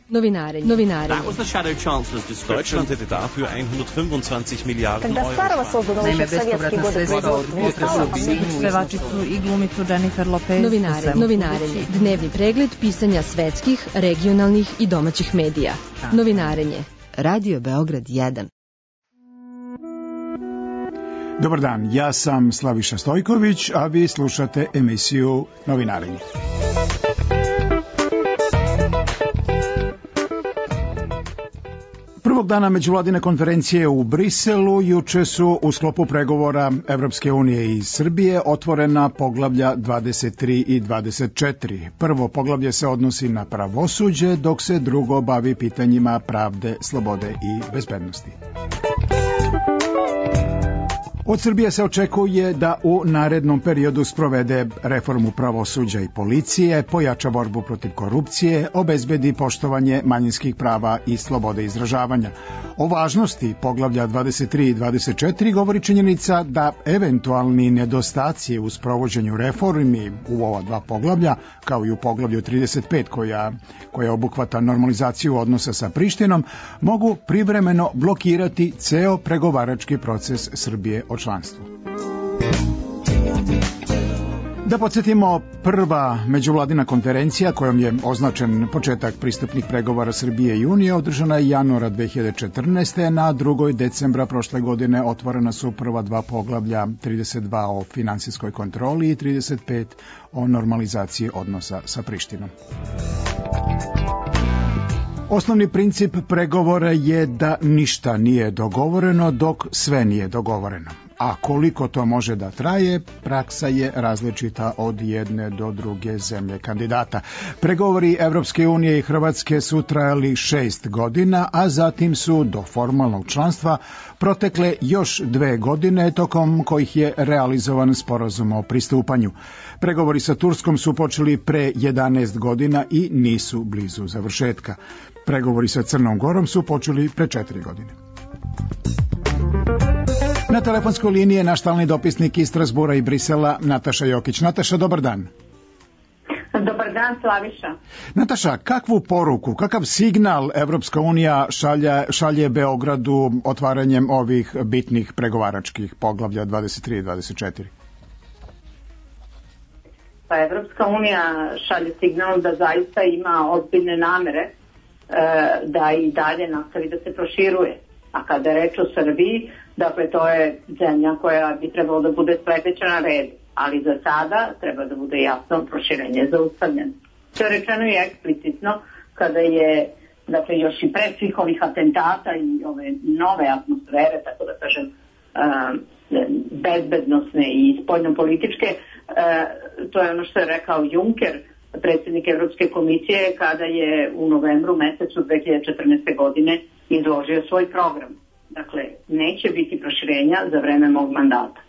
Novinarenje. That was the Shadow Chancellor's description. Deutschland hätte dafür 125 Miliarden Когда старого создано еще в советские годы производства, pevačicu i glumicu Jennifer Lopez. Novinarenje. Dnevni pregled pisanja svetskih, regionalnih i domaćih medija. Novinarenje. Radio Beograd 1. Dobar dan, ja sam Slaviša Stojković, a vi slušate emisiju Novinarenje. Prvog dana međuvladine konferencije u Briselu juče su u sklopu pregovora Evropske unije i Srbije otvorena poglavlja 23 i 24. Prvo poglavlje se odnosi na pravosuđe, dok se drugo bavi pitanjima pravde, slobode i bezbednosti. Od Srbije se očekuje da u narednom periodu sprovede reformu pravosuđa i policije, pojača borbu protiv korupcije, obezbedi poštovanje manjinskih prava i slobode izražavanja. O važnosti poglavlja 23 i 24 govori činjenica da eventualni nedostaci u sprovođenju reformi u ova dva poglavlja, kao i u poglavlju 35 koja obuhvata normalizaciju odnosa sa Prištinom, mogu privremeno blokirati ceo pregovarački proces Srbije o članstvu. Da podsjetimo, prva međuvladina konferencija kojom je označen početak pristupnih pregovora Srbije i Unije održana je januara 2014. Na 2. decembra prošle godine otvorena su prva dva poglavlja, 32 o finansijskoj kontroli i 35 o normalizaciji odnosa sa Prištinom. Osnovni princip pregovora je da ništa nije dogovoreno dok sve nije dogovoreno. A koliko to može da traje, praksa je različita od jedne do druge zemlje kandidata. Pregovori Evropske unije i Hrvatske su trajali 6 godina, a zatim su do formalnog članstva protekle još 2 godine, tokom kojih je realizovan sporazum o pristupanju. Pregovori sa Turskom su počeli pre 11 godina i nisu blizu završetka. Pregovori sa Crnom Gorom su počeli pre 4 godine. Na telefonskoj liniji je naš stalni dopisnik iz Strasbura i Brisela, Nataša Jokić. Nataša, dobar dan. Dobar dan, Slaviša. Nataša, kakvu poruku, kakav signal Evropska unija šalje Beogradu otvaranjem ovih bitnih pregovaračkih poglavlja 23 i 24? Pa Evropska unija šalje signal da zaista ima ozbiljne namere da i dalje nastavi da se proširuje. A kada je reč o Srbiji, dakle to je zemlja koja bi trebalo da bude sledeća na redu, ali za sada treba da bude jasno proširenje zaustavljeno. To je rečeno i eksplicitno kada je, dakle još i pre svih ovih atentata i ove nove atmosfere, tako da kažem, bezbednosne i spoljnopolitičke, to je ono što je rekao Juncker, predsjednik Evropske komisije, kada je u novembru mesecu 2014. godine izložio svoj program. Dakle, neće biti proširenja za vreme mog mandata.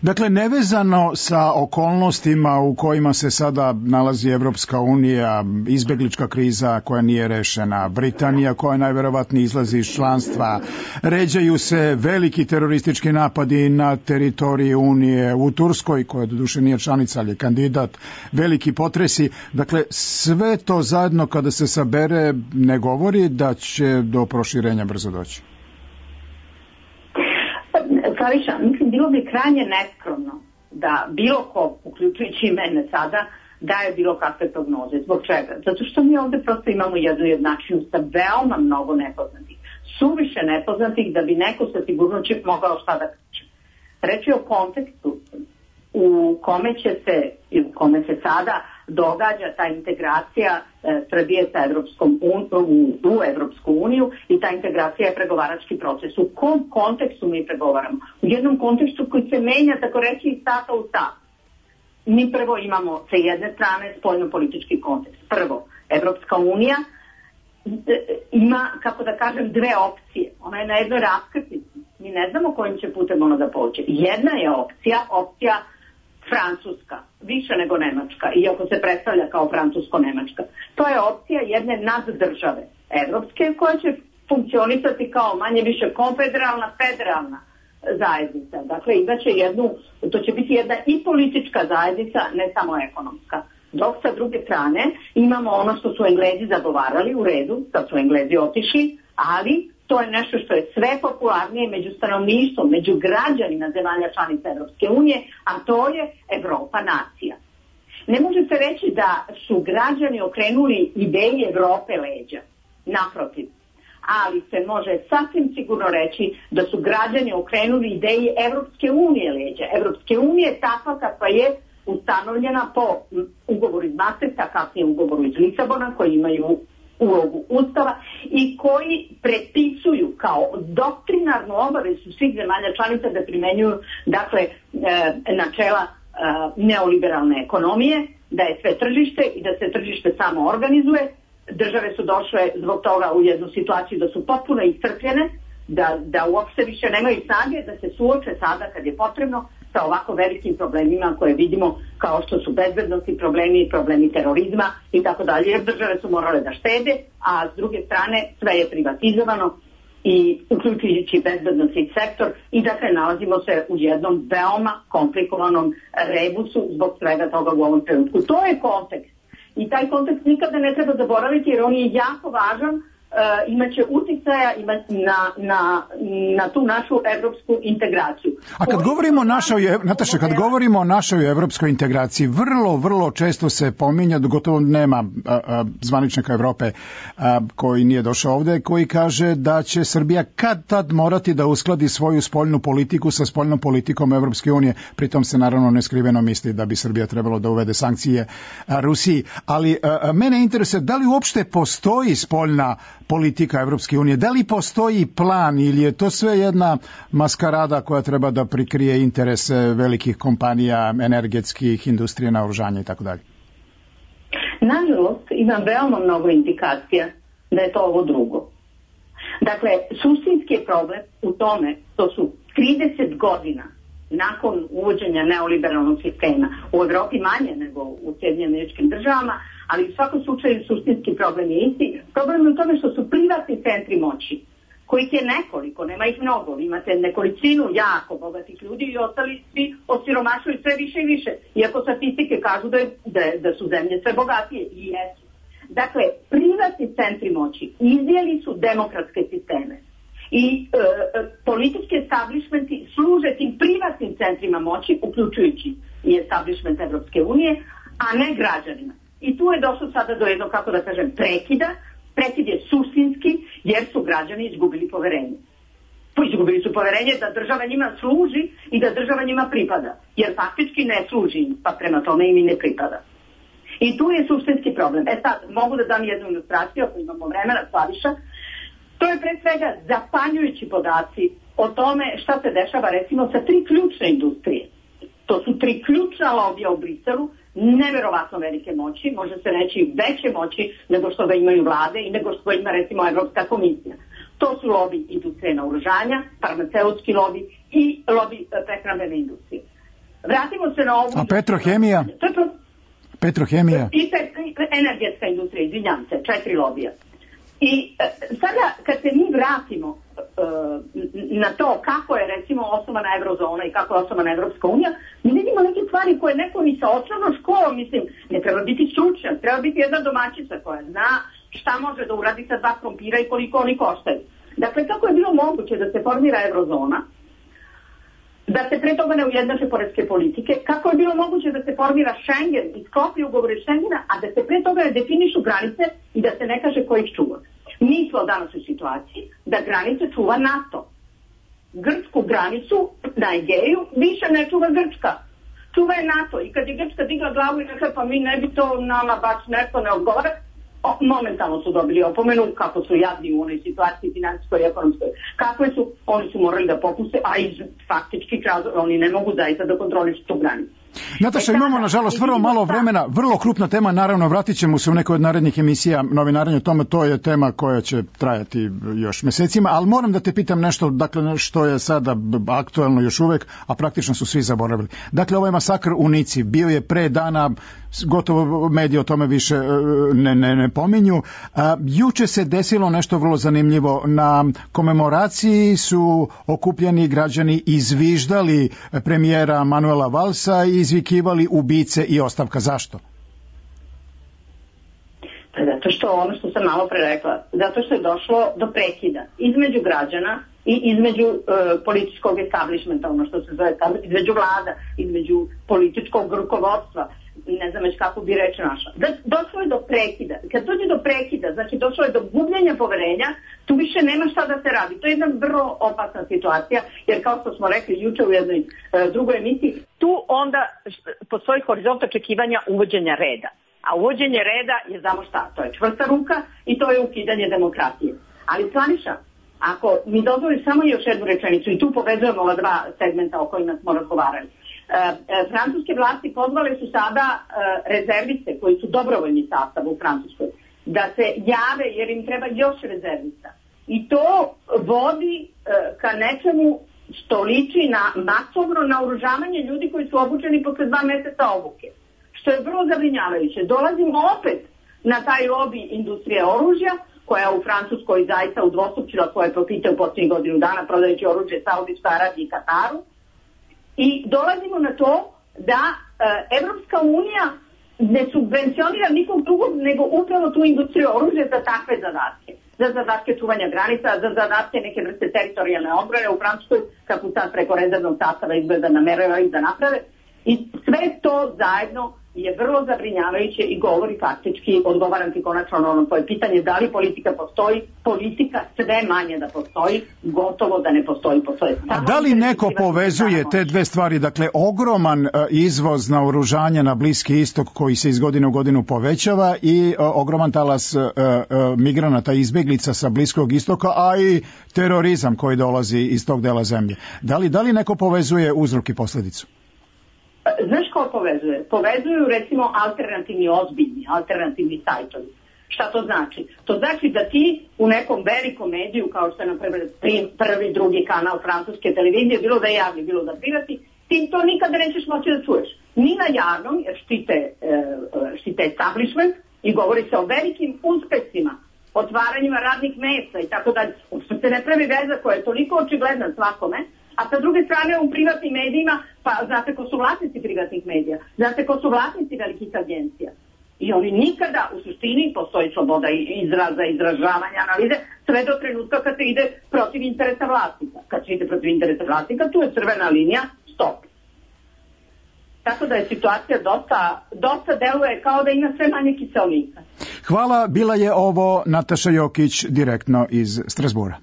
Dakle, nevezano sa okolnostima u kojima se sada nalazi Evropska unija, izbeglička kriza koja nije rešena, Britanija koja najverovatnije izlazi iz članstva, ređaju se veliki teroristički napadi na teritoriji Unije, u Turskoj, koja doduše nije članica, ali je kandidat, veliki potresi. Dakle, sve to zajedno kada se sabere ne govori da će do proširenja brzo doći. Slaviša, mislim, bilo bi krajnje neskromno da bilo ko, uključujući i mene sada, daje bilo kakve prognoze. Zbog čega? Zato što mi ovde prosto imamo jednu jednačinu sa veoma mnogo nepoznatih. Suviše nepoznatih da bi neko sa sigurnošću mogao šta da kaže. Reč je o kontekstu u kome će se, i u kome se sada događa ta integracija Srbije sa u Evropsku uniju i ta integracija je pregovarački proces. U kom kontekstu mi pregovaramo? U jednom kontekstu koji se menja, tako reći, iz sata u sat. Mi prvo imamo sa jedne strane spoljno-politički kontekst. Prvo, Evropska unija ima, kako da kažem, dve opcije. Ona je na jednoj raskrsnici. Mi ne znamo kojim će putem ona da pođe. Jedna je opcija Francuska, više nego Nemačka, iako se predstavlja kao Francusko-Nemačka. To je opcija jedne naddržave evropske koja će funkcionisati kao manje više konfederalna, federalna zajednica. Dakle, to će biti jedna i politička zajednica, ne samo ekonomska. Dok sa druge strane imamo ono što su Englezi zagovarali, u redu, sad su Englezi otišli, ali to je nešto što je sve popularnije među stanovništvom, među građanima zemalja članica Evropske unije, a to je Evropa nacija. Ne može se reći da su građani okrenuli ideji Evrope leđa, naprotiv. Ali se može sasvim sigurno reći da su građani okrenuli ideji Evropske unije leđa. Evropske unije je takva kakva je ustanovljena po ugovoru iz Maastrichta, kasnije ugovoru iz Lisabona, koji imaju ulogu Ustava i koji predpisuju kao doktrinarnu obavezu svih zemalja članica da primenjuju dakle, načela neoliberalne ekonomije, da je sve tržište i da se tržište samo organizuje. Države su došle zbog toga u jednu situaciju da su potpuno iscrpljene, da uopšte više nemaju snage da se suoče sada kad je potrebno sa ovako velikim problemima koje vidimo kao što su bezbednosti problemi, problemi terorizma i tako dalje, jer države su morale da štede, a s druge strane sve je privatizovano i uključujući bezbednostni sektor i dakle nalazimo se u jednom veoma komplikovanom rebusu zbog svega toga u ovom trenutku. To je kontekst i taj kontekst nikada ne treba zaboraviti jer on je jako važan, imaće uticaja na tu našu evropsku integraciju. A kad govorimo o našoj, Nataša, kad govorimo o našoj evropskoj integraciji, vrlo često se pominja, gotovo nema zvaničnika Evrope koji nije došao ovde, koji kaže da će Srbija kad tad morati da uskladi svoju spoljnu politiku sa spoljnom politikom Evropske unije. Pritom se naravno neskriveno misli da bi Srbija trebalo da uvede sankcije Rusiji. Ali mene interesuje da li uopšte postoji spoljna politika Evropske unije, da li postoji plan ili je to sve jedna maskarada koja treba da prikrije interese velikih kompanija, energetskih, industrije, naoružanja i tako dalje? Nažalost, imam veoma mnogo indikacija da je to ovo drugo. Dakle, suštinski je problem u tome što su 30 godina nakon uvođenja neoliberalnog sistema, u Evropi manje nego u Sjedinjenim Američkim Državama, ali u svakom slučaju suštinski problem je isti. Problem je u tome što su privatni centri moći, kojih je nekoliko, nema ih mnogo, imate nekolicinu jako bogatih ljudi i ostali svi osiromašuju sve više i više, iako statistike kažu da su zemlje sve bogatije i jesu. Dakle, privatni centri moći izjeli su demokratske sisteme i politički establishmenti služe tim privatnim centrima moći, uključujući i establishment Evropske unije, a ne građanima. I tu je došlo sada do jednog, kako da kažem, prekida. Prekid je suštinski jer su građani izgubili poverenje. Izgubili su poverenje da država njima služi i da država njima pripada. Jer faktički ne služi im, pa prema tome im i ne pripada. I tu je suštinski problem. Sad, mogu da dam jednu ilustraciju, ako imamo vremena, Slaviša. To je pre svega zapanjujući podaci o tome šta se dešava recimo sa 3 ključne industrije. To su 3 ključna lobija u Briselu, neverovatno velike moći, može se reći veće moći nego što ga imaju vlade i nego što ima recimo Evropska komisija. To su lobi industrije naoružanja, farmaceutski lobi i lobi prehrambene industrije. Vratimo se na ovu... A petrohemija? Petrohemija? I energetska industrija, izvinjam se, 4 lobija. I sada kad se mi vratimo na to kako je recimo osnovana eurozona i kako je osnovana Evropska unija, mi vidimo neke stvari koje neko ni sa osnovnom školom, mislim, ne treba biti stručnjak, treba biti jedna domaćica koja zna šta može da uradi sa 2 krompira i koliko oni koštaju. Dakle, kako je bilo moguće da se formira eurozona, da se pre toga ne ujednače poreske politike, kako je bilo moguće da se formira Schengen i sklopi ugovore Schengena, a da se pre toga ne definišu granice i da se ne kaže ko ih čuva. Mi smo danas u situaciji da granice čuva NATO. Grčku granicu na Egeju više ne čuva Grčka. Čuva je NATO. I kad je Grčka digla glavu i rekla pa mi ne bi to nama baš nešto ne odgovara, momentalno su dobili opomenu kako su jadni u onoj situaciji finansijskoj i ekonomskoj. Kakve su, oni su morali da popuste, a iz faktičkih razloga oni ne mogu zaista da kontrolišu tu granicu. Nataša, imamo nažalost vrlo malo vremena, vrlo krupna tema, naravno vratit ćemo se u nekoj od narednih emisija novinarenja o tome, to je tema koja će trajati još mesecima, ali moram da te pitam nešto, dakle, što je sada aktuelno još uvek, a praktično su svi zaboravili. Dakle, ovaj masakr u Nici bio je pre dana, gotovo mediji o tome više ne pominju. Juče se desilo nešto vrlo zanimljivo. Na komemoraciji su okupljeni građani izviždali premijera Manuela Valsa i izvikivali ubice i ostavka. Zašto? Zato što ono što sam malo pre rekla, zato što je došlo do prekida između građana i između političkog establishmenta, ono što se zove, između vlada, između političkog rukovodstva, ne znam već kako bi reč našla. Došlo je do prekida. Kad dođe do prekida, znači došlo je do gubljenja poverenja, tu više nema šta da se radi. To je jedna vrlo opasna situacija, jer kao što smo rekli juče u jednoj drugoj emisiji, tu onda postoji horizont očekivanja uvođenja reda. A uvođenje reda je, znamo šta, to je čvrsta ruka i to je ukidanje demokratije. Ali Slaviša, ako mi dozvoliš samo još jednu rečenicu, i tu povezujemo ova dva segmenta o kojima smo razgovarali. Francuske vlasti pozvale su sada rezerviste koji su dobrovoljni sastav u Francuskoj da se jave jer im treba još rezervista. I to vodi ka nečemu što liči na masovno naoružavanje ljudi koji su obučeni posle 2 meseca obuke. Što je vrlo zabrinjavajuće. Dolazimo opet na taj lobby industrije oružja, koja u Francuskoj zaista udvostručila svoje profite u posljednjih godinu dana, prodajući oružje Saudijskoj Arabiji i Kataru. I dolazimo na to da Evropska unija ne subvencionira nikog drugog nego upravo tu industriju oružja za takve zadatke. Za zadatke čuvanja granica, za zadatke neke vrste teritorijalne odbrane u Francuskoj, kako sad preko rezervnog sastava izgleda nameravaju da naprave. I sve to zajedno je vrlo zabrinjavajuće i govori faktički, odgovaram ti konačno na ono tvoje pitanje, da li politika postoji, politika sve manje da postoji, gotovo da ne postoji. A da li neko povezuje te dve stvari, dakle ogroman izvoz naoružanja na Bliski istok koji se iz godine u godinu povećava i ogroman talas migranata i izbeglica sa Bliskog istoka, a i terorizam koji dolazi iz tog dela zemlje. Da li neko povezuje uzrok i posledicu? Znaš ko povezuje? Povezuju recimo alternativni, ozbiljni, alternativni sajtovi. Šta to znači? To znači da ti u nekom velikom mediju, kao što je na prvi, drugi kanal francuske televizije, bilo da je javni, bilo da privati, ti to nikada nećeš moći da čuješ. Ni na javnom, jer štite establishment i govori se o velikim uspesima, otvaranjima radnih mesta i tako dalje. Uopšte se ne pravi veza koja je toliko očigledna svakome. A sa druge strane u privatnim medijima, pa znate ko su vlasnici privatnih medija, znate ko su vlasnici velikih agencija. I oni nikada, u suštini, postoji sloboda izraza, izražavanja, analize, sve do trenutka kad se ide protiv interesa vlasnika. Kad se ide protiv interesa vlasnika, tu je crvena linija, stop. Tako da je situacija dosta deluje kao da ima sve manje kiselnika. Hvala, bila je ovo Nataša Jokić direktno iz Strasbura.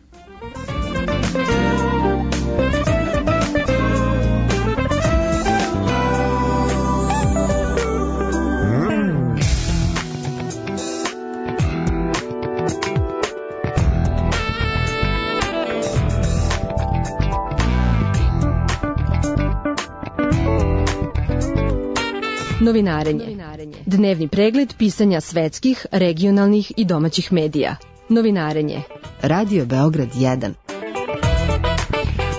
Novinarenje. Dnevni pregled pisanja svetskih, regionalnih i domaćih medija. Novinarenje. Radio Beograd 1.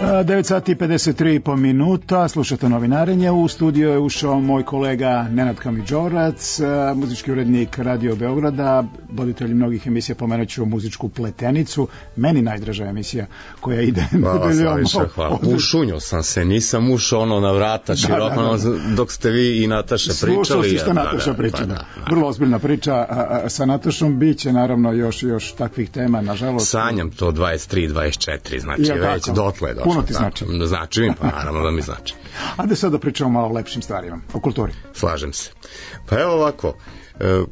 9 sati i 53,5 minuta, slušate Novinarenje. U studio je ušao moj kolega Nenad Kamidžorac, muzički urednik Radio Beograda, voditelj mnogih emisija, pomenut ću Muzičku pletenicu, meni najdraža emisija koja ide nedeljom. Hvala. Ušunio sam se, nisam ušao na vrata široko, dok ste vi i Nataša pričali. Slušao si što Nataša priča. Vrlo ozbiljna priča sa Natašom, bit će naravno još takvih tema, nažalost. Sanjam to 23, 24, znači već dotle došlo. Puno ti znači. Znači mi, pa naravno da mi znači. Ajde sad da pričamo malo o lepšim stvarima, o kulturi. Slažem se. Pa evo ovako,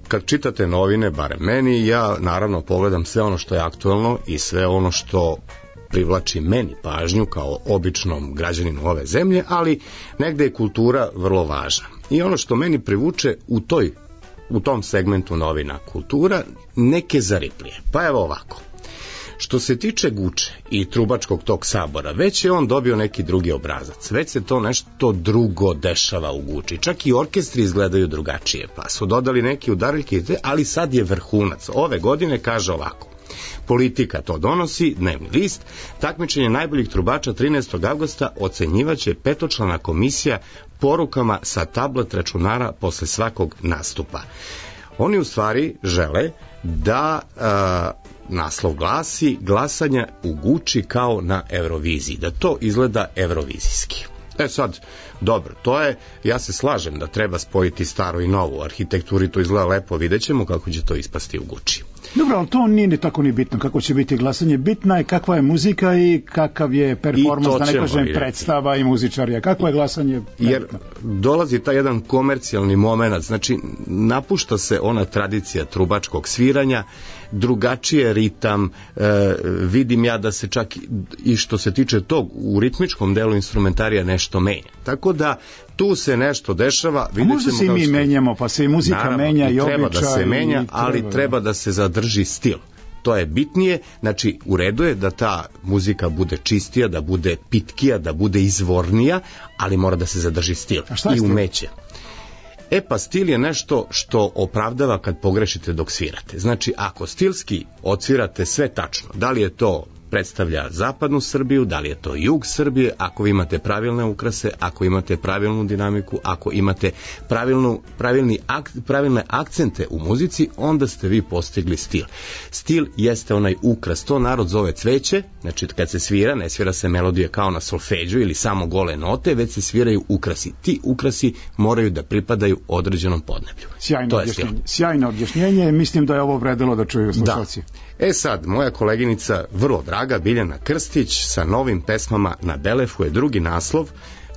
kad čitate novine, barem meni, ja naravno pogledam sve ono što je aktuelno i sve ono što privlači meni pažnju kao običnom građaninu ove zemlje, ali negde je kultura vrlo važna. I ono što meni privuče u tom segmentu novina kultura, neke zariplije. Pa evo ovako. Što se tiče Guče i trubačkog tog sabora, već je on dobio neki drugi obrazac. Već se to nešto drugo dešava u Guči. Čak i orkestri izgledaju drugačije, pa su dodali neki udaraljke, ali sad je vrhunac. Ove godine kaže ovako. Politika to donosi, dnevni list, takmičenje najboljih trubača 13. avgusta ocenjivaće 5-člana komisija porukama sa tablet računara posle svakog nastupa. Oni u stvari žele da naslov glasi glasanja u Guči kao na Euroviziji, da to izgleda evrovizijski. Sad, dobro, ja se slažem da treba spojiti staro i novo. U arhitekturi to izgleda lepo, vidjet ćemo kako će to ispasti u Guči. Dobro, ali to nije ni tako ni bitno kako će biti glasanje. Bitna je kakva je muzika i kakav je performans, da ne kažem predstava i muzičarija. Kakvo je glasanje? Jer dolazi taj jedan komercijalni moment, znači napušta se ona tradicija trubačkog sviranja, drugačije ritam, vidim ja da se čak i što se tiče tog u ritmičkom delu instrumentarija nešto menja. Tako da tu se nešto dešava. A možda se i mi menjamo, pa se i muzika naravno, menja i običaj. Treba da se menja, ali treba da se zadrži stil. To je bitnije, znači u redu je da ta muzika bude čistija, da bude pitkija, da bude izvornija, ali mora da se zadrži stil i umeće. Pa stil je nešto što opravdava kad pogrešite dok svirate. Znači, ako stilski odsvirate sve tačno, da li je to predstavlja zapadnu Srbiju, da li je to jug Srbije, ako vi imate pravilne ukrase, ako imate pravilnu dinamiku, ako imate pravilne akcente u muzici, onda ste vi postigli stil. Stil jeste onaj ukras, to narod zove cveće, znači kad se svira, ne svira se melodija kao na solfeđu ili samo gole note, već se sviraju ukrasi. Ti ukrasi moraju da pripadaju određenom podneblju. Sjajno objašnjenje, mislim da je ovo vredilo da čuju slušalci. Sad, moja koleginica, vrlo draga, Biljana Krstić, sa novim pesmama na Belefu je drugi naslov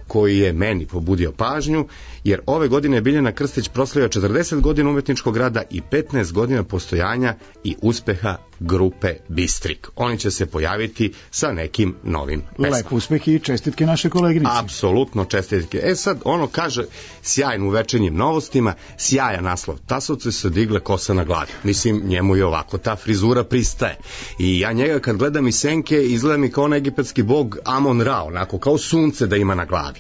koji je meni pobudio pažnju, jer ove godine Biljana Krstić proslavlja 40 godina umetničkog rada i 15 godina postojanja i uspeha grupe Bistrik. Oni će se pojaviti sa nekim novim pesmama. Lep uspeh i čestitke naše koleginice. Apsolutno čestitke. Sad, ono kaže, sjajno u večernjim novostima, sjajan naslov. Tasovce se digle kosa na glavi. Mislim, njemu je ovako, ta frizura pristaje. I ja njega kad gledam iz senke, izgleda mi kao egipatski bog Amon-Ra, onako, kao sunce da ima na glavi.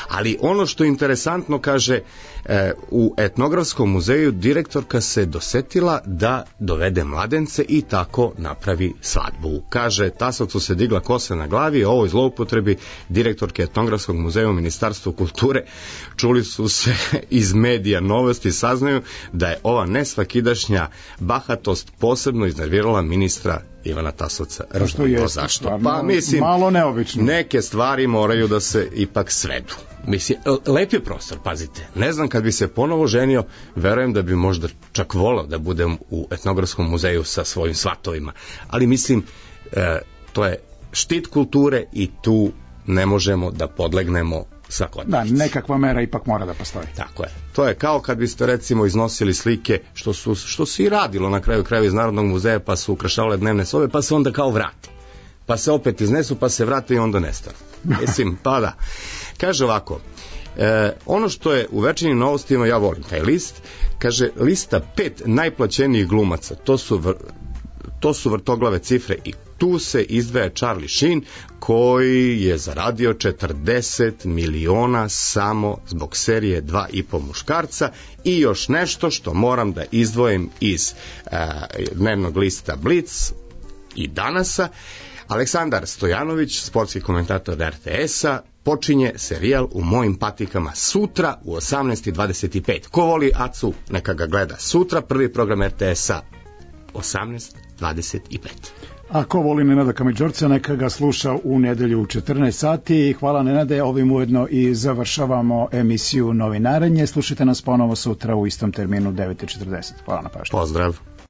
Ali ono što je interesantno, kaže, u etnografskom muzeju direktorka se dosetila da dovede mladence i tako napravi svadbu. Kaže, Tasovcu se digla kosa na glavi, o ovoj zloupotrebi direktorke etnografskog muzeja u Ministarstvu kulture čuli su se iz medija novosti, saznaju da je ova nesvakidašnja bahatost posebno iznervirala ministra Ivana Tasovca. Zašto? Pa mislim, malo neobično. Neke stvari moraju da se ipak svedu. Mislim, lep je prostor, pazite. Ne znam, kad bi se ponovo ženio, verujem da bi možda čak volao da budem u etnografskom muzeju sa svojim svatovima. Ali mislim, to je štit kulture i tu ne možemo da podlegnemo svakodnevici. Da, nekakva mera ipak mora da postoji. Tako je. To je kao kad biste recimo iznosili slike, što se i radilo na kraju krajeva iz Narodnog muzeja, pa su ukrašavale dnevne sobe, pa se onda kao vrati. Pa se opet iznesu, pa se vrate i onda nestanu. Mislim, pa da. Kaže ovako, ono što je u večernjim novostima, ja volim taj list, kaže lista 5 najplaćenijih glumaca, to su vrtoglave cifre i tu se izdvaja Charlie Sheen koji je zaradio 40 miliona samo zbog serije 2,5 muškarca i još nešto što moram da izdvojim iz dnevnog lista Blitz i Danasa. Aleksandar Stojanović, sportski komentator RTS-a, počinje serijal U mojim patikama sutra u 18:25. Ko voli Acu, neka ga gleda sutra, prvi program RTS-a 18:25. A ko voli Nenada Kamiđorca, neka ga sluša u nedelju u 14 sati. Hvala Nenade, ovim ujedno i završavamo emisiju Novinarenje. Slušajte nas ponovo sutra u istom terminu 9:40. Hvala na pažnju. Pozdrav.